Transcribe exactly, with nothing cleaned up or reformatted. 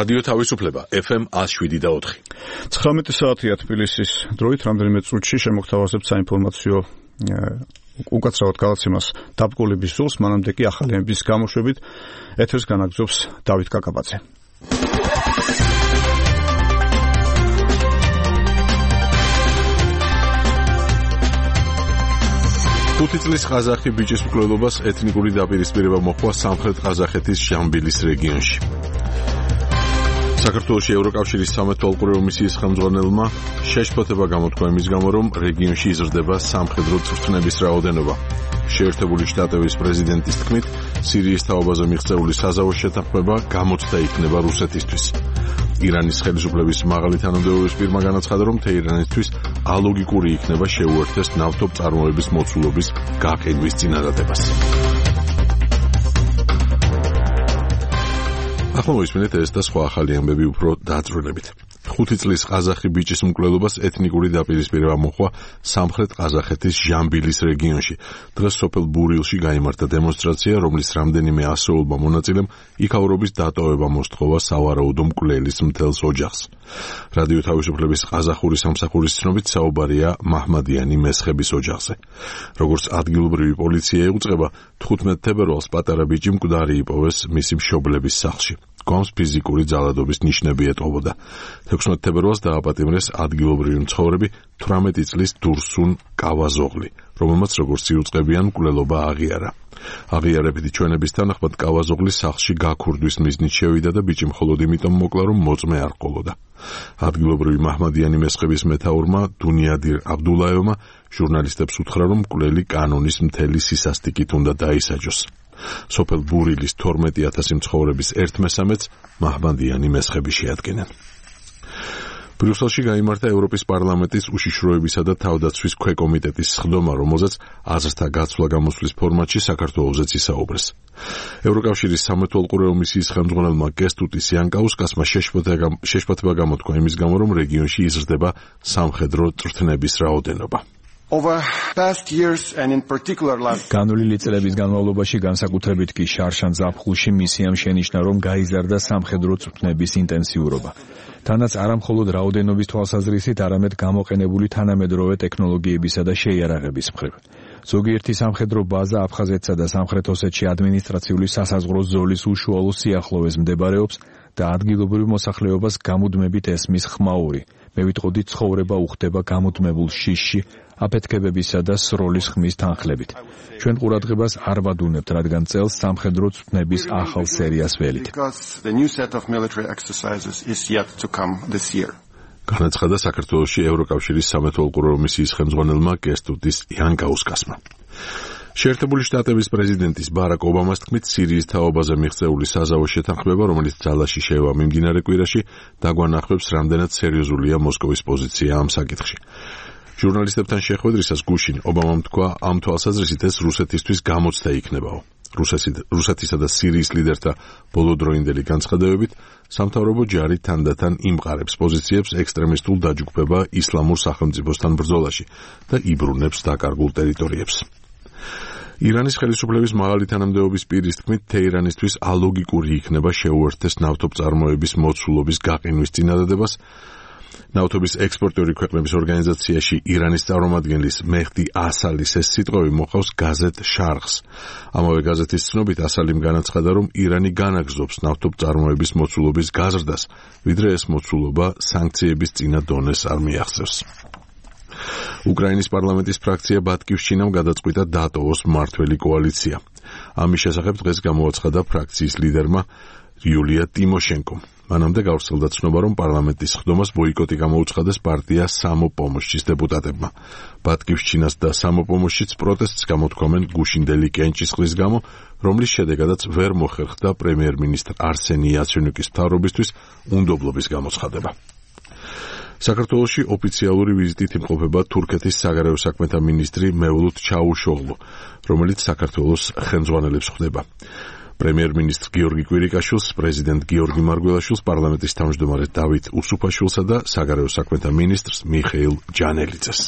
რადიო თავისუფლება ეფ ემ one oh seven და four. ცხრამეტი საათია თბილისის დროით, რამდენიმე წუთში შემოგთავაზებთ საინფორმაციო უკაცრავად გადაცემას დაბრკოლების ზოლს, მანამდე კი ახალი ემბის გამოშვებით ეთერს განაგრძობს დავით კაკაბაძე. ხუთი წლის ყაზახი ბიჭის მკვლელობას ეთნიკური დაპირისპირება მოჰყვა სამხრეთ ყაზახეთის ჟამბილის რეგიონში. საქართველოში ევროკავშირის სამეთვალყურეო მისიის ხელმძღვანელმა შეშფოთება გამოთქვა იმის გამო, რომ რეგიონში იზრდება სამხედრო წვრთნების რაოდენობა. შეერთებული შტატების პრეზიდენტის თქმით, სირიის თაობაზე მიღწეული საზავო შეთანხმება გამოცდა იქნება რუსეთისთვის. ირანის ხელისუფლების მაღალი თანამდებობის პირმა განაცხადა, რომ თეირანისთვის ალოგიკური იქნება შეუერთდეს ნავთობწარმოების მოცულობის გაყიდვის წინადადებას. ახლა მოისმინეთ ეს და სხვა ახალი ამბები უფრო დაწვრილებით. ხუთი წლის ყაზახი ბიჭის მკვლელობას ეთნიკური დაპირისპირება მოჰყვა სამხრეთ ყაზახეთის ჟამბილის რეგიონში. დღეს სოფელ ბურილში გაიმართა დემონსტრაცია, რომლის რამდენიმე ასეულმა მონაწილემ იქაურობის დატოვება მოსთხოვა სავარაუდო მკვლელის მთელს ოჯახს. რადიო თავისუფლების ყაზახური სამსახურის ცნობით საუბარია მაჰმადიანი მესხების ოჯახზე. როგორც ადგილობრივი პოლიცია იუწყება, თხუთმეტ თებერვალს პატარა ბიჭი მკვდარი იპოვეს მისი მშობლების სახლში. გვამს ფიზიკური ძალადობის ნიშნები ეტყობოდა. თექვსმეტ თებერვალს დააპატიმრეს ადგილობრივი მცხოვრები თვრამეტი წლის დურსუნ კავაზოღლი, რომელმაც როგორც იუწყებიან მკვლელობა აღიარა. აღიარებითი ჩვენების თანახმად კავაზოღლის სახლში გაქურდვის მიზნით შევიდა და ბიჭი მხოლოდ იმიტომ მოკლა, რომ მოწმე არ ჰყოლოდა. ადგილობრივი მაჰმადიანი მესხების მეთაურმა დუნიადირ აბდულაევმა ჟურნალისტებს უთხრა, რომ მკვლელი კანონის მთელი სისასტიკით უნდა დაისაჯოს. სოფელ ბურილის თორმეტი ათასი მცხოვრების ერთ მესამედს მაჰმადიანი მესხები შეადგენენ. ბრიუსელში გაიმართა ევროპის პარლამენტის უშიშროებისა და თავდაცვის ქვეკომიტეტის სხდომა, რომელზეც აზრთა გაცვლა გამოსვლის ფორმატში საქართველოსაც ისაუბრეს. ევროკავშირის სამეთვალყურეო მისიის ხელმძღვანელმა კესტუტის იანკაუსკასმა შეშფოთება გამოთქვა იმის გამო, რომ რეგიონში იზრდება სამხედრო წვრთნების რაოდენობა. განვლილი წლების განმავლობაში განსაკუთრებით კი შარშან ზაფხულში მისიამ შენიშნა, რომ გაიზარდა სამხედრო წვრთნების ინტენსიურობა. თანაც არა მხოლოდ რაოდენობის თვალსაზრისით, არამედ გამოყენებული თანამედროვე ტექნოლოგიებისა და შეიარაღების მხრივ. ზოგიერთი სამხედრო ბაზა აფხაზეთსა და სამხრეთ ოსეთში ადმინისტრაციული სასაზღვრო ზოლის უშუალო სიახლოვეს მდებარეობს და ადგილობრივ მოსახლეობას გამუდმებით ესმის ხმაური. მე ვიტყოდი, ცხოვრება უხდება გამუდმებულ შიშში, აფეთქებებისა და სროლის ხმის თანხლებით. ჩვენ ყურადღებას არ ვადუნებთ, რადგან წელს სამხედრო წვრთნების ახალ სერიას ველით. განაცხადა საქართველოში ევროკავშირის სამეთვალყურეო მისიის ხელმძღვანელმა კესტუტის იანკაუსკასმა. შეერთებული შტატების პრეზიდენტის ბარაკ ობამას თქმით, სირიის თაობაზე მიღწეული საზავო შეთანხმება, რომელიც ძალაში შევა მიმდინარე კვირაში, დაგვანახებს, რამდენად სერიოზულია მოსკოვის პოზიცია ამ საკითხში. ჟურნალისტებთან შეხვედრისას გუშინ ობამამ თქვა, ამ თვალსაზრისით ეს რუსეთისთვის გამოცდა იქნებაო. რუსეთისა და სირიის ლიდერთა ბოლოდროინდელი განცხადებებით, სამთავრობო ჯარი თანდათან იმყარებს პოზიციებს ექსტრემისტულ დაჯგუფება ისლამურ სახელმწიფოსთან ბრძოლაში და იბრუნებს დაკარგულ ტერიტორიებს. ირანის ხელისუფლების მაღალი თანამდებობის პირის თქმით, თეირანისთვის ალოგიკური იქნება შეუერთდეს ნავთობწარმოების მოცულობის გაყინვის წინადადებას. ნავთობის ექსპორტიორი ქვეყნების ორგანიზაციაში ირანის წარმომადგენლის მეჰდი ასალის ეს სიტყვები მოყავს გაზეთ შარხს. ამავე გაზეთის ცნობით ასალიმ განაცხადა, რომ ირანი განაგრძობს ნავთობწარმოების მოცულობის გაზრდას, ვიდრე ეს მოცულობა სანქციების წინა დონეს არ მიაღწევს. უკრაინის პარლამენტის ფრაქცია ბატკივშჩინამ გადაწყვიტა დატოვოს მმართველი კოალიცია. ამის შესახებ დღეს გამოაცხადა ფრაქციის ლიდერმა იულია ტიმოშენკომ. მანამდე გავრცელდა ცნობა, რომ პარლამენტის სხდომას ბოიკოტი გამოუცხადეს პარტია სამოპომოშჩის დეპუტატებმა. ბატკივშჩინას და სამოპომოშჩიც პროტესტს გამოთქვამენ გუშინდელი კენჭისყრის გამო, რომლის შედეგადაც ვერ მოხერხდა პრემიერ-მინისტრ არსენი იაცენიუკის მთავრობისთვის უნდობლობის გამოცხადება. საქართველოში ოფიციალური ვიზიტით იმყოფება თურქეთის საგარეო საქმეთა მინისტრი მევლութ ჩაუშოღლუ, რომელიც საქართველოს ხელმძღვანელებს ხვდება. პრემიერ-მინისტრ გიორგი კვირიკაშვილს, პრეზიდენტ გიორგი მარგველაშვილს, პარლამენტის თავმჯდომარე დავით უსუფაშვილსა და საგარეო საქმეთა მინისტრს მიხეილ ჯანელიძეს.